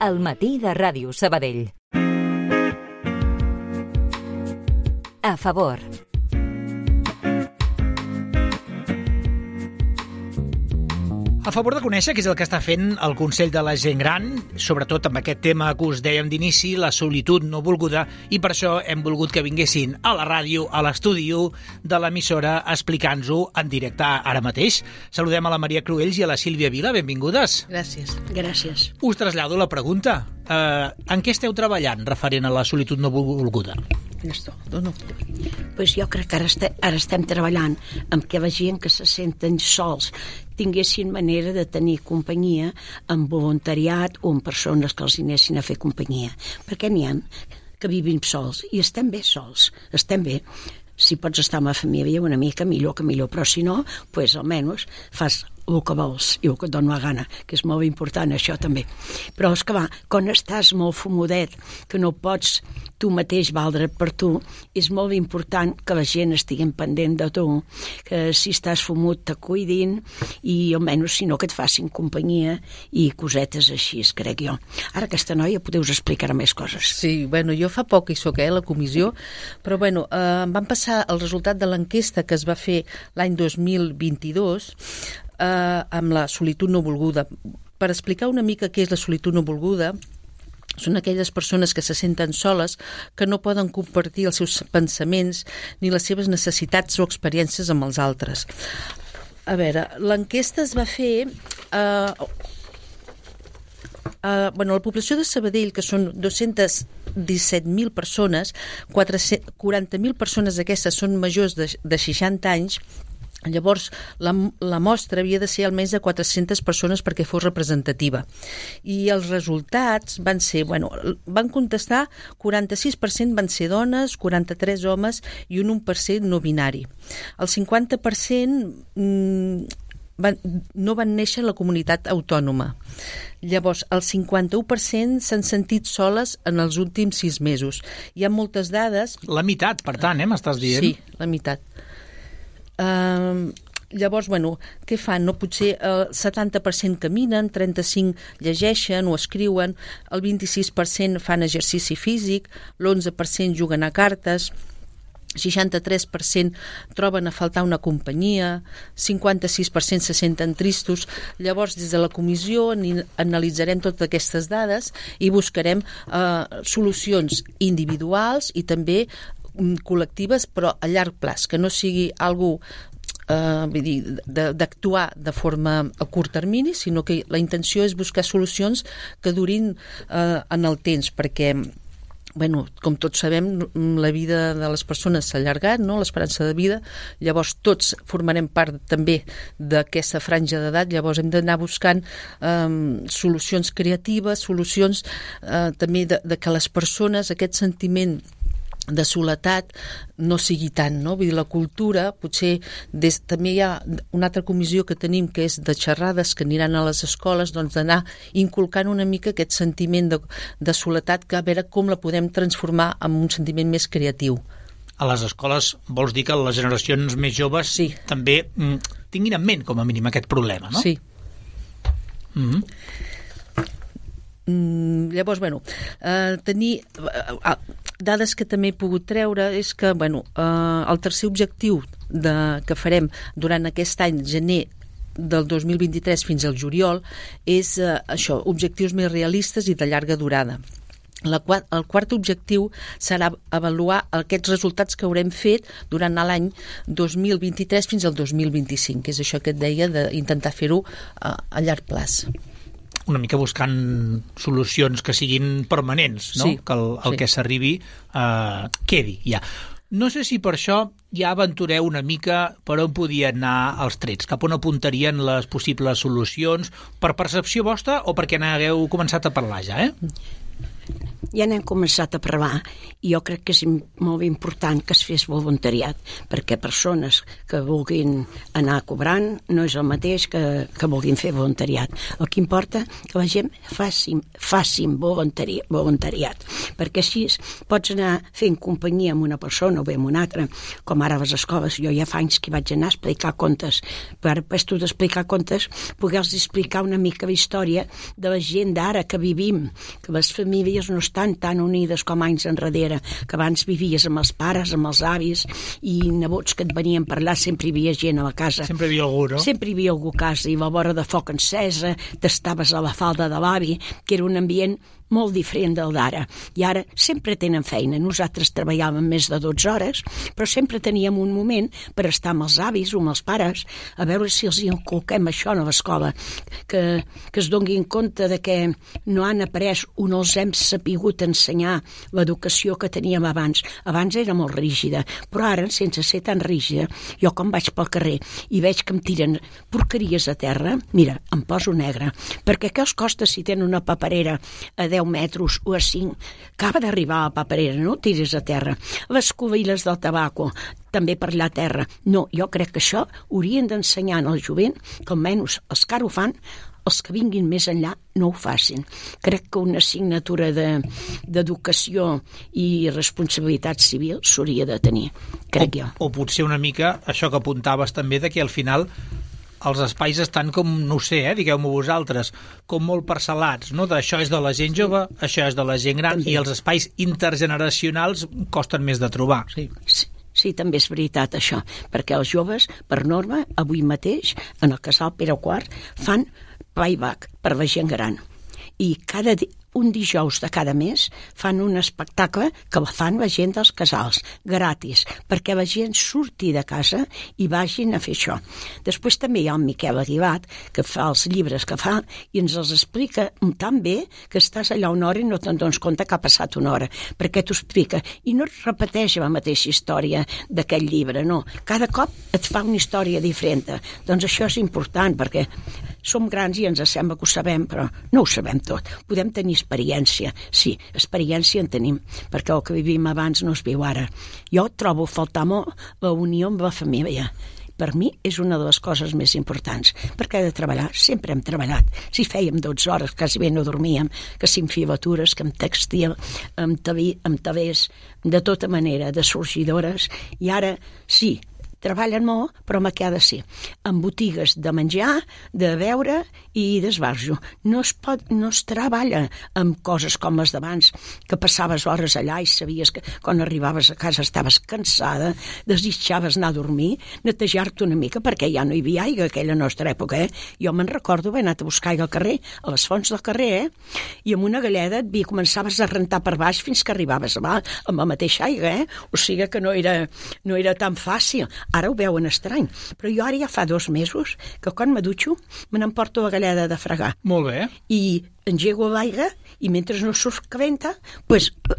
al matí de Ràdio Sabadell. A favor. A favor de conèixer què és el que està fent el Consell de la Gent Gran, sobretot amb aquest tema que us dèiem d'inici, la solitud no volguda, i per això hem volgut que vinguessin a la ràdio, a l'estudi de l'emissora, explicant-nos-ho en directe ara mateix. Saludem a la Maria Cruells i a la Sílvia Vila, benvingudes. Gràcies. Gràcies. Us trasllado la pregunta. En què esteu treballant referent a la solitud no volguda? Pues jo crec que ara estem treballant amb que la gent que se senten sols tinguessin manera de tenir companyia amb voluntariat o amb persones que els anessin a fer companyia. Perquè n'hi ha que vivim sols i estem bé sols, estem bé. Si pots estar amb la família una mica millor que millor, però si no, pues almenys fas el que vols i el que et dona la gana, que és molt important això també. Però és que va, quan estàs molt fumodet, que no pots tu mateix valdre per tu, és molt important que la gent estigui pendent de tu, que si estàs fumut te cuidin i almenys si no que et facin companyia i cosetes així, crec jo. Ara aquesta noia podeu explicar més coses. Sí, bueno, jo fa poc hi soc, a la comissió, però bueno, em van passar el resultat de l'enquesta que es va fer l'any 2022 amb la solitud no volguda. Per explicar una mica què és la solitud no volguda, són aquelles persones que se senten soles, que no poden compartir els seus pensaments ni les seves necessitats o experiències amb els altres. A veure, l'enquesta es va fer... la població de Sabadell, que són 217.000 persones, 40.000 persones d'aquestes són majors de 60 anys. Llavors, la mostra havia de ser almenys de 400 persones perquè fos representativa. I els resultats van ser, van contestar 46% van ser dones, 43 homes i un 1% no binari. El 50% no van néixer a la comunitat autònoma. Llavors, el 51% s'han sentit soles en els últims 6 mesos. Hi ha moltes dades... La meitat, per tant, m'estàs dient? Sí, la meitat. Llavors, què fan? Potser el 70% caminen, 35% llegeixen o escriuen, el 26% fan exercici físic, l'11% juguen a cartes, 63% troben a faltar una companyia, 56% se senten tristos. Llavors, des de la comissió analitzarem totes aquestes dades i buscarem solucions individuals i també col·lectives, però a llarg plaç, que no sigui algú d'actuar de forma a curt termini, sinó que la intenció és buscar solucions que durin en el temps, perquè com tots sabem, la vida de les persones s'ha allargat, no? L'esperança de vida, llavors tots formarem part també d'aquesta franja d'edat, llavors hem d'anar buscant solucions creatives, solucions també de que les persones, aquest sentiment de soledat no sigui tant, no? Vull dir, la cultura, potser també hi ha una altra comissió que tenim que és de xerrades que aniran a les escoles, doncs d'anar inculcant una mica aquest sentiment de soledat, que a veure com la podem transformar en un sentiment més creatiu. A les escoles vols dir que les generacions més joves també tinguin en ment, com a mínim, aquest problema, no? Sí. Llavors, tenir dades que també he pogut treure és que, el tercer objectiu que farem durant aquest any, gener del 2023 fins al juliol, és això, objectius més realistes i de llarga durada. El quart objectiu serà avaluar aquests resultats que haurem fet durant l'any 2023 fins al 2025, que és això que et deia d'intentar fer-ho a llarg plaç. Una mica buscant solucions que siguin permanents, no? Sí, que el que s'arribi quedi ja. No sé si per això ja aventureu una mica per on podien anar els trets, cap on apuntarien les possibles solucions, per percepció vostra o perquè n'hagueu començat a parlar ja, ja n'hem començat a parlar i jo crec que és molt important que es fes voluntariat, perquè persones que vulguin anar cobrant no és el mateix que vulguin fer voluntariat. El que importa que la gent facin voluntariat, perquè així pots anar fent companyia amb una persona o bé amb una altra, com ara a les escoles. Jo ja fa anys que vaig anar a explicar contes, però ara després tu d'explicar contes poder-los explicar una mica la història de la gent d'ara que vivim, que les famílies no estan tan unides com anys enrere, que abans vivies amb els pares, amb els avis i nebots que et venien a parlar, sempre hi havia gent a la casa. Sempre hi havia algú, no? Sempre hi havia algú a casa, i la vora de foc encesa, t'estaves a la falda de l'avi, que era un ambient molt diferent del d'ara. I ara sempre tenen feina. Nosaltres treballàvem més de 12 hores, però sempre teníem un moment per estar amb els avis o amb els pares, a veure si els inculquem això a l'escola, que es donguin compte de que no han après o no els hem sapigut ensenyar l'educació que teníem abans. Abans era molt rígida, però ara, sense ser tan rígida, jo quan vaig pel carrer i veig que em tiren porqueries a terra, mira, em poso negre, perquè què els costa si tenen una paperera a 10 metres o a 5, acaba d'arribar a la paperera, no tiris a terra. Les cubilles del tabaco, també per la terra. No, jo crec que això haurien d'ensenyar al jovent, que almenys els que ara ho fan, els que vinguin més enllà no ho facin. Crec que una assignatura d'educació i responsabilitat civil s'hauria de tenir, crec jo. O potser una mica això que apuntaves també, de que al final els espais estan com, no ho sé, digueu-m'ho vosaltres, com molt parcel·lats, no? Això és de la gent jove, això és de la gent gran, i els espais intergeneracionals costen més de trobar. Sí, també és veritat això, perquè els joves, per norma, avui mateix, en el casal Pere IV, fan playback per la gent gran. I un dijous de cada mes fan un espectacle que fan la gent dels casals, gratis, perquè la gent surti de casa i vagin a fer això. Després també hi ha el Miquel Aguilat, que fa els llibres que fa i ens els explica tan bé que estàs allà una hora i no te'n dones compte que ha passat una hora, perquè t'ho explica. I no et repeteix la mateixa història d'aquell llibre, no. Cada cop et fa una història diferent. Doncs això és important, perquè som grans i ens sembla que ho sabem, però no ho sabem tot. Podem tenir experiència. Sí, experiència en tenim, perquè el que vivim abans no es viu ara. Jo trobo a faltar molt la unió amb la família. Per mi és una de les coses més importants, perquè de treballar sempre hem treballat. Si fèiem 12 hores, quasi bé no dormíem, que si amb filatures, que amb textil, amb tavers, de tota manera, de sorgidores, i ara sí, treballen molt, però amb què ha de ser? En botigues de menjar, de beure i d'esbarjo. No es treballa amb coses com les d'abans, que passaves hores allà i sabies que quan arribaves a casa estaves cansada, desitjaves anar a dormir, netejar-te una mica, perquè ja no hi havia aigua a aquella nostra època, Jo me'n recordo haver anat a buscar aigua al carrer, a les fonts del carrer, I amb una galleda començaves a rentar per baix fins que arribaves amb la mateixa aigua, O sigui que no era tan fàcil. Ara ho veuen estrany, però jo ara ja fa 2 mesos que quan me dutxo me n'emporto la galleda de fregar. Molt bé. I engego l'aigua i mentre no surt calenta,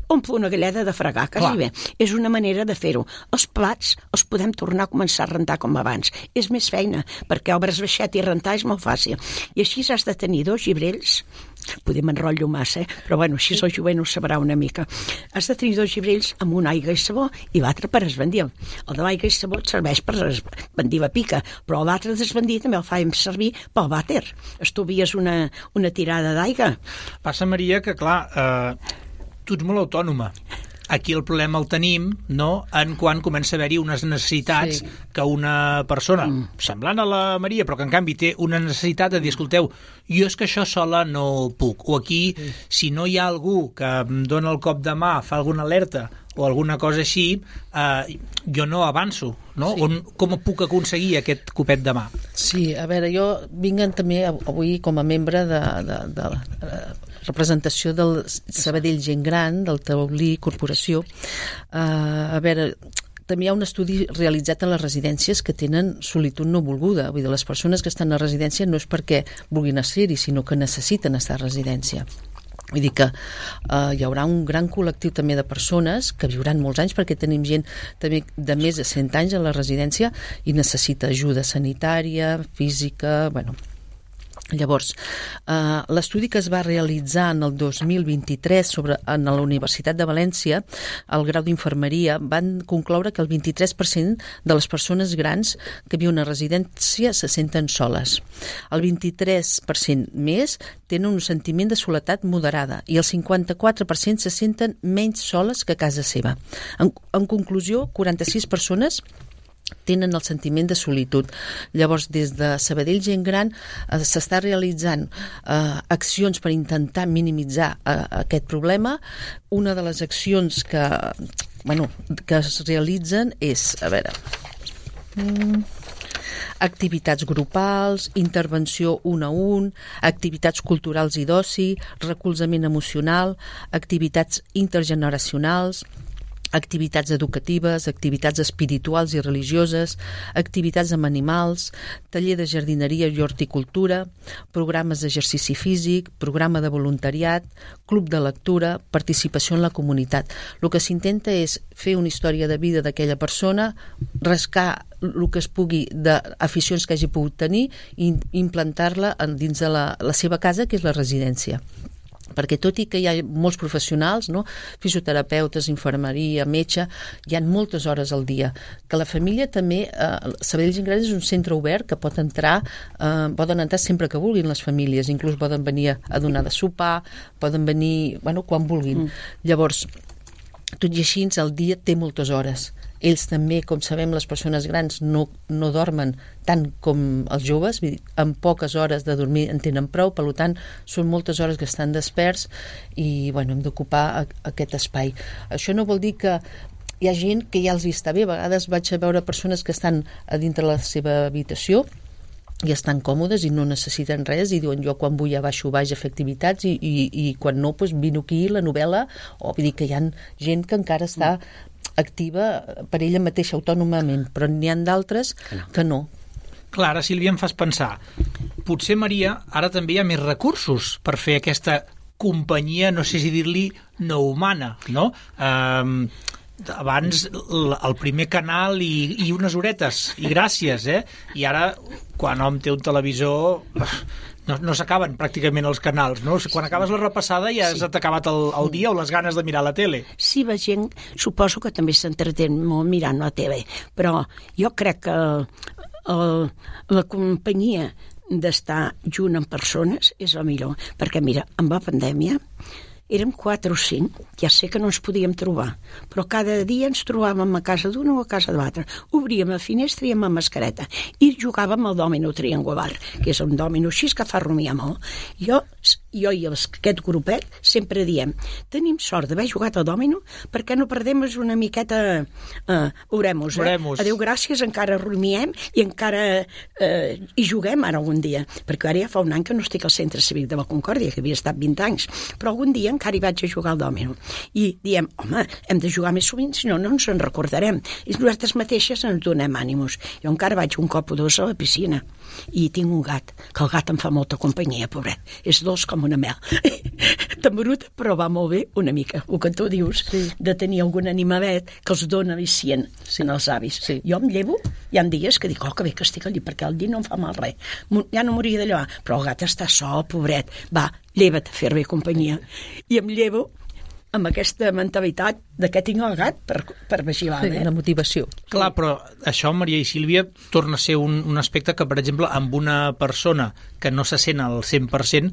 omplo una galleda de fregar, quasi bé. És una manera de fer-ho. Els plats els podem tornar a començar a rentar com abans. És més feina, perquè obres baixet i rentar és molt fàcil. I així has de tenir 2 llibrells, poder m'enrotllo massa, però bueno, així el jovent ho sabrà una mica. Has de tenir 2 llibrells amb una aigua i sabó i l'altre per esbandir. El de l'aigua i sabó et serveix per esbandir la pica, però l'altre d'esbandir també el fàiem servir pel vàter. Estalvies una tirada d'aigua. Passa, Maria, que clar, tu ets molt autònoma. Aquí el problema el tenim, no?, en quan comença a haver-hi unes necessitats que una persona, semblant a la Maria, però que en canvi té una necessitat de dir, escolteu, jo és que això sola no puc. O aquí, si no hi ha algú que em dona el cop de mà, fa alguna alerta o alguna cosa així, jo no avanço, no? Com puc aconseguir aquest copet de mà? Sí, a veure, jo vinc també avui com a membre de representació del Sabadell Gent Gran, del Taulí Corporació. A veure, també hi ha un estudi realitzat a les residències que tenen solitud no volguda. Vull dir, les persones que estan a residència no és perquè vulguin ser-hi, sinó que necessiten estar a residència. Vull dir que hi haurà un gran col·lectiu també de persones que viuran molts anys, perquè tenim gent també de més de 100 anys a la residència i necessita ajuda sanitària, física, bueno. Llavors, l'estudi que es va realitzar en el 2023 en la Universitat de València, el grau d'infermeria, van concloure que el 23% de les persones grans que viuen a residència se senten soles. El 23% més tenen un sentiment de soledat moderada i el 54% se senten menys soles que a casa seva. En conclusió, 46 persones tenen el sentiment de solitud. Llavors, des de Sabadell Gent Gran s'està realitzant accions per intentar minimitzar aquest problema. Una de les accions que es realitzen és, activitats grupals, intervenció un a un, activitats culturals i d'oci, recolzament emocional, activitats intergeneracionals, activitats educatives, activitats espirituals i religioses, activitats amb animals, taller de jardineria i horticultura, programes d'exercici físic, programa de voluntariat, club de lectura, participació en la comunitat. El que s'intenta és fer una història de vida d'aquella persona, rascar el que es pugui d'aficions que hagi pogut tenir i implantar-la dins de la seva casa, que és la residència. Perquè tot i que hi ha molts professionals, no? Fisioterapeutes, infermeria, metge, hi ha moltes hores al dia. Que la família també, Sabadell Gent Gran és un centre obert que poden entrar sempre que vulguin les famílies, inclús poden venir a donar de sopar, poden venir quan vulguin. Llavors, tot i així, el dia té moltes hores. Ells també, com sabem, les persones grans no dormen tant com els joves, amb poques hores de dormir en tenen prou, per tant, són moltes hores que estan desperts i hem d'ocupar aquest espai. Això no vol dir que hi ha gent que ja els està bé. A vegades vaig a veure persones que estan a dintre la seva habitació i estan còmodes i no necessiten res i diuen jo quan vull ja baixo baix a fer activitats i quan no, vino aquí la novel·la, o vull dir que hi ha gent que encara està activa per ella mateixa autònomament, però n'hi ha d'altres que no. Clar, ara, Sílvia, em fas pensar, potser, Maria, ara també hi ha més recursos per fer aquesta companyia, no sé si dir-li no humana, no? Abans el primer canal i unes horetes, i gràcies, I ara, quan hom té un televisor, no s'acaben pràcticament els canals, no? Quan acabes la repassada ja has acabat el dia o les ganes de mirar la tele. Sí, la gent suposo que també s'entretén molt mirant la tele, però jo crec que la companyia d'estar junt amb persones és el millor, perquè mira, amb la pandèmia érem 4 o 5, ja sé que no ens podíem trobar, però cada dia ens trobàvem a casa d'una o a casa de l'altra. Obríem la finestra i amb la mascareta i jugàvem al dòmino triangular, que és un dòmino així que fa rumiar molt. Jo i aquest grupet sempre diem, tenim sort d'haver jugat al dòmino perquè no perdem una miqueta oremos. Adéu, gràcies, encara rumiem i encara hi juguem ara algun dia, perquè ara ja fa un any que no estic al Centre Cívic de la Concòrdia, que havia estat 20 anys, però algun dia encara hi vaig a jugar al dòmino. I diem, home, hem de jugar més sovint, si no, no ens en recordarem. I nosaltres mateixes ens donem ànims. Jo encara vaig un cop o dos a la piscina i tinc un gat, que el gat em fa molta companyia, pobret. És dolç com una mel. Tembrut, però va molt bé una mica. El que tu dius, de tenir algun animalet que els dona al·licient en els avis. Jo em llevo, hi ha dies que dic, que bé que estic allí, perquè el llit no em fa mal res. Ja no m'hauria de llevar, però el gat està sol, pobret. Va, lleva't a fer-me companyia. I em llevo amb aquesta mentalitat de què tinc el gat per vigilar. La motivació. Clar, però això, Maria i Sílvia, torna a ser un aspecte que, per exemple, amb una persona que no se sent al 100%,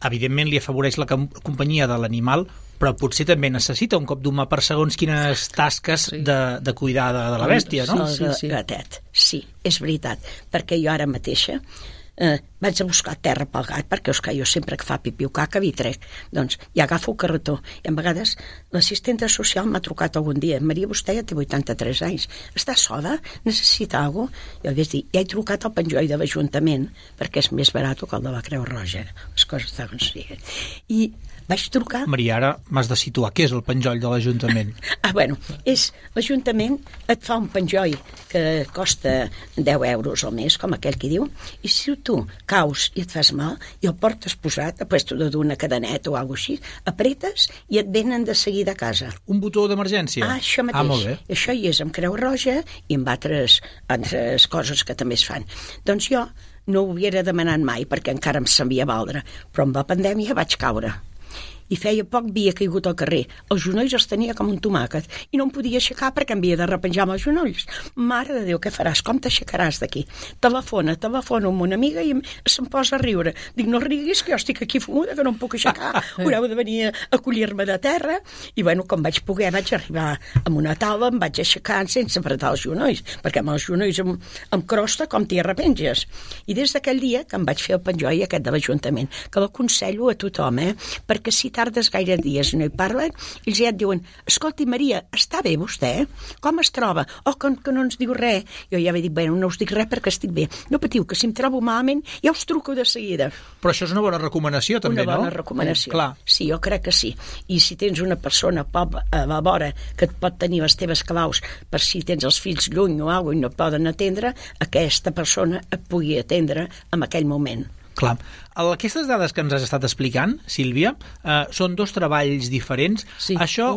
evidentment li afavoreix la companyia de l'animal, però potser també necessita un cop d'humà per segons quines tasques de cuidar de la bèstia, no? Gatet, sí, és veritat, perquè jo ara mateixa vaig a buscar terra pel gat, perquè jo sempre que fa pipí o caca vi trec, doncs ja agafo el carretó, i a vegades l'assistenta social m'ha trucat algun dia, Maria, vostè ja té 83 anys, està sola? Necessita alguna cosa? Jo vaig dir, ja he trucat al penjoll de l'Ajuntament, perquè és més barat que el de la Creu Roja, les coses de consiguen. I vaig trucar... Maria, ara m'has de situar. Què és el penjoll de l'Ajuntament? És l'Ajuntament et fa un penjoll que costa 10 euros al mes, com aquell que diu, i si tu caus i et fas mal i el portes posat, a puesto d'una cadeneta o alguna cosa així, apretes i et venen de seguida a casa. Un botó d'emergència? Això mateix. Molt bé. Això hi és amb Creu Roja i amb altres coses que també es fan. Doncs jo no ho havia demanat mai perquè encara em sabia valdre, però amb la pandèmia vaig caure. I feia poc havia caigut al carrer. Els genolls els tenia com un tomàquet i no em podia aixecar perquè em havia de repenjar amb els genolls. Mare de Déu, què faràs? Com t'aixecaràs d'aquí? Telefona amb una amiga i se'm posa a riure. Dic, no riguis, que jo estic aquí fumuda, que no em puc aixecar. Haureu de venir a acollir-me de terra. I bueno, com vaig poder, vaig arribar amb una taula, em vaig aixecar sense apretar els genolls, perquè amb els genolls em crosta com t'hi arrepenges. I des d'aquell dia que em vaig fer el penjoll aquest de l'Ajuntament, que l'aconsello a tothom, perquè si tardes gaire dies i no hi parlen, ells ja et diuen, escolti Maria, està bé vostè? Com es troba? O que no ens diu res. Jo ja vaig dir, bueno, no us dic res perquè estic bé. No patiu, que si em trobo malament ja us truco de seguida. Però això és una bona recomanació també, no? Una bona recomanació. Clar. Sí, jo crec que sí. I si tens una persona a la vora que et pot tenir les teves claus per si tens els fills lluny o alguna cosa i no et poden atendre, aquesta persona et pugui atendre en aquell moment. Clar. Aquestes dades que ens has estat explicant, Sílvia, són 2 treballs diferents. Sí, això,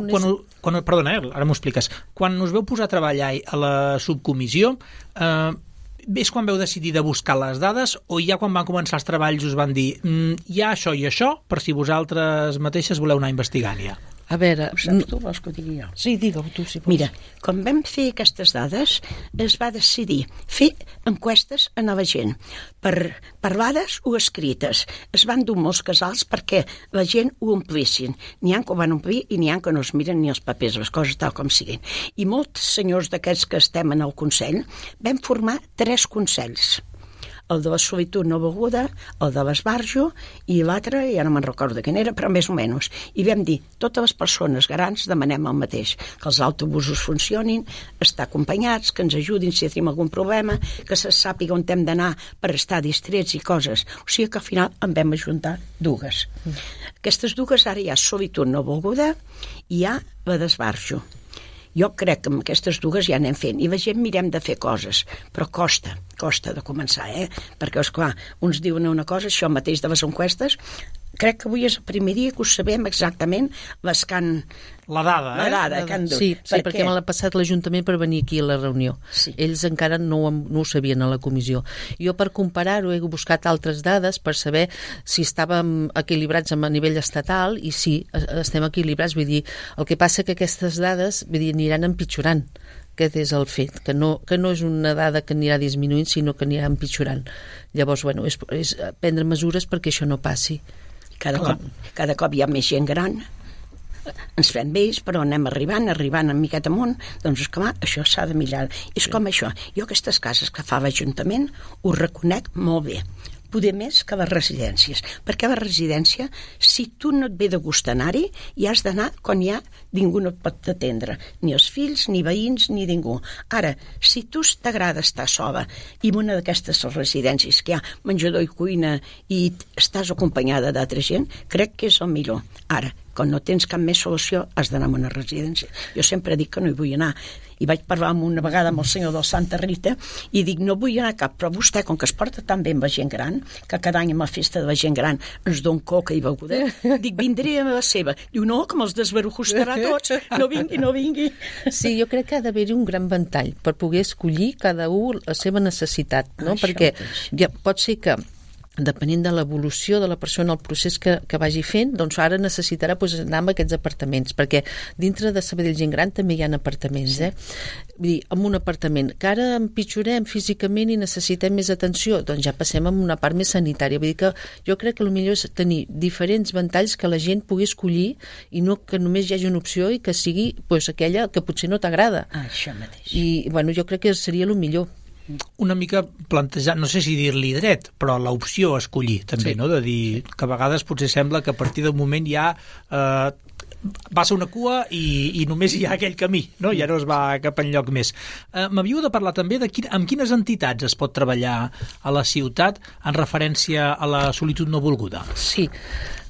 perdona, ara m'ho expliques. Quan us veu posar a treballar a la subcomissió, és quan veu decidir de buscar les dades o ja quan van començar els treballs us van dir hi ha això i això, per si vosaltres mateixes voleu anar investigant ja? A veure... Ho saps tu, vols que ho digui jo? Sí, digue-ho tu, si vols. Mira, quan vam fer aquestes dades, es va decidir fer enquestes a la gent, parlades o escrites. Es van dur molts casals perquè la gent ho omplissin. N'hi ha que ho van omplir i n'hi ha que no es miren ni els papers, les coses tal com siguin. I molts senyors d'aquests que estem en el Consell vam formar 3 consells. El de la solitud no beguda, el de l'esbarjo i l'altre, ja no me'n recordo quin era, però més o menys. I vam dir, totes les persones grans demanem el mateix, que els autobusos funcionin, estar acompanyats, que ens ajudin si tenim algun problema, que se sàpiga on hem d'anar per estar distrets i coses. O sigui que al final en vam ajuntar 2. Aquestes 2 ara hi ha solitud no beguda i hi ha la d'esbarjo. Jo crec que amb aquestes 2 ja anem fent i la gent mirem de fer coses, però costa de començar, perquè esclar, uns diuen una cosa, això mateix de les enquestes, crec que avui és el primer dia que ho sabem exactament les que han... La dada, que han dut. Sí, perquè me l'ha passat l'Ajuntament per venir aquí a la reunió. Sí. Ells encara no ho sabien a la comissió. Jo, per comparar-ho, he buscat altres dades per saber si estàvem equilibrats a nivell estatal i sí, estem equilibrats. Vull dir, el que passa que aquestes dades aniran empitjorant. Aquest és el fet, que no és una dada que anirà disminuint, sinó que anirà empitjorant. Llavors, bueno, és prendre mesures perquè això no passi. Cada cop hi ha més gent gran, ens fem vells, però anem arribant una miqueta amunt, doncs esclar, això s'ha de mirar. És com això, jo aquestes cases que fa l'Ajuntament ho reconec molt bé, poder més que les residències, perquè a la residència, si tu no et ve de gust anar-hi, hi has d'anar quan ningú no et pot atendre, ni els fills, ni veïns, ni ningú. Ara, si tu t'agrada estar sola i en una d'aquestes residències que hi ha menjador i cuina i estàs acompanyada d'altra gent, crec que és el millor. Ara, quan no tens cap més solució, has d'anar a una residència. Jo sempre dic que no hi vull anar. I vaig parlar una vegada amb el senyor del Santa Rita i dic, no vull anar cap, però vostè, com que es porta tan bé amb la gent gran, que cada any amb la festa de la gent gran ens don coca i beguda, dic, vindré a la seva. Diu, no, que me'ls desbarujustarà tots, no vingui. Sí, jo crec que ha d'haver-hi un gran ventall per poder escollir cada un la seva necessitat, no? Això perquè mateix. ja pot ser que depenent de l'evolució de la persona, el procés que vagi fent, doncs ara necessitarà anar amb aquests apartaments, perquè dintre de Sabadell Gent Gran també hi ha apartaments, Vull dir, en un apartament que ara empitjorem físicament i necessitem més atenció, doncs ja passem a una part més sanitària. Vull dir que jo crec que el millor és tenir diferents ventalls que la gent pugui escollir i no que només hi hagi una opció i que sigui aquella que potser no t'agrada. Això mateix. I bueno, jo crec que seria el millor. Una mica plantejar, no sé si dir-li dret, però l'opció a escollir també, no? De dir que a vegades potser sembla que a partir del moment ja passa una cua i només hi ha aquell camí, no? Ja no es va cap enlloc més. M'havíeu de parlar també de amb quines entitats es pot treballar a la ciutat en referència a la solitud no volguda. Sí.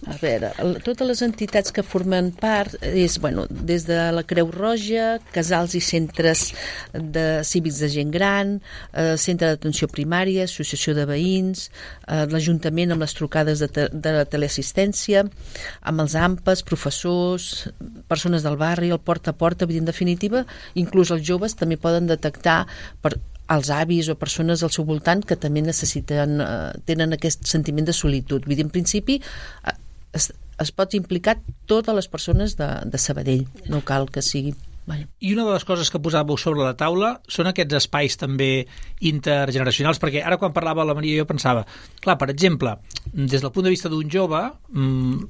A veure, totes les entitats que formen part és, bueno, des de la Creu Roja, casals i centres cívics de gent gran, centre d'atenció primària, associació de veïns, l'Ajuntament amb les trucades de teleassistència, amb els AMPAs, professors, persones del barri, el porta a porta, en definitiva, inclús els joves també poden detectar als avis o persones al seu voltant que també necessiten, tenen aquest sentiment de solitud. Vull dir, en principi es pot implicar totes les persones de Sabadell, no cal que sigui... I una de les coses que posàveu sobre la taula són aquests espais també intergeneracionals, perquè ara quan parlava la Maria jo pensava, clar, per exemple, des del punt de vista d'un jove,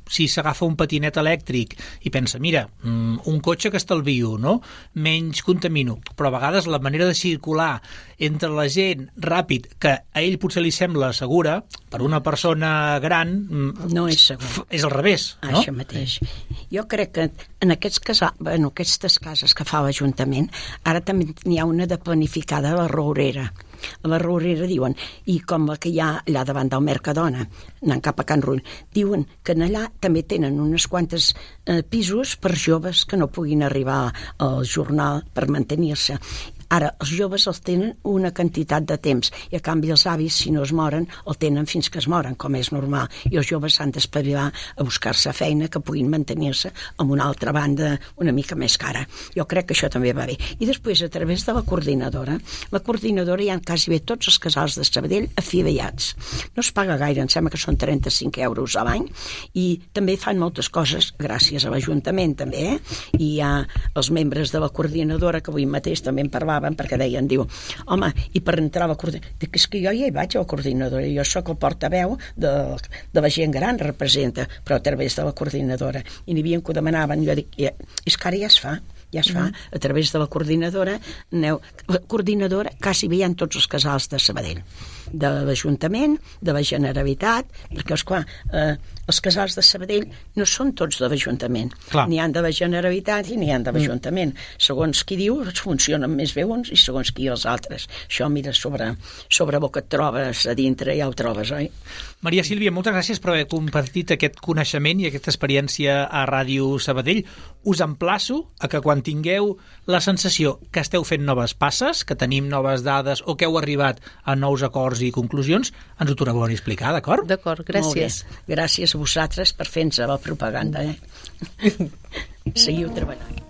si s'agafa un patinet elèctric i pensa, mira, un cotxe que estalvio, no? Menys contamino, però a vegades la manera de circular entre la gent ràpid, que a ell potser li sembla segura, per una persona gran no és segur. És al revés, no? Això mateix. Jo crec que en aquestes cases que fa l'Ajuntament, ara també n'hi ha una de planificada a la Rourera. A la Rourera diuen, i com la que hi ha allà davant del Mercadona, anant cap a Can Rull, diuen que allà també tenen unes quantes pisos per joves que no puguin arribar al jornal per mantenir-se. Ara, els joves els tenen una quantitat de temps i a canvi els avis, si no es moren, el tenen fins que es moren, com és normal. I els joves s'han d'espavilar a buscar-se feina que puguin mantenir-se amb una altra banda una mica més cara. Jo crec que això també va bé. I després, a través de la coordinadora hi ha quasi bé tots els casals de Sabadell afiliats. No es paga gaire, em sembla que són 35 euros a l'any, i també fan moltes coses gràcies a l'Ajuntament, també, I hi ha els membres de la coordinadora, que avui mateix també en parlava, perquè deien, diu, home, i per entrar a la coordinadora, dic, és que jo ja hi vaig a la coordinadora, jo sóc el portaveu de la gent gran, representa, però a través de la coordinadora, i n'hi havia que ho demanaven, jo dic, és que ara ja es fa, a través de la coordinadora, la coordinadora quasi bé hi ha tots els casals de Sabadell, de l'Ajuntament, de la Generalitat, perquè, esclar, els casals de Sabadell no són tots de l'Ajuntament, n'hi ha de la Generalitat i n'hi ha de l'Ajuntament. Segons qui diu, funcionen més bé uns i segons qui els altres. Això, mira, sobre el que et trobes a dintre ja ho trobes, oi? Maria Sílvia, moltes gràcies per haver compartit aquest coneixement i aquesta experiència a Ràdio Sabadell. Us emplaço a que quan tingueu la sensació que esteu fent noves passes, que tenim noves dades o que heu arribat a nous acords i conclusions, ens ho torneu a explicar, d'acord? D'acord, gràcies. Gràcies a vosaltres per fer-nos la propaganda. Seguiu treballant.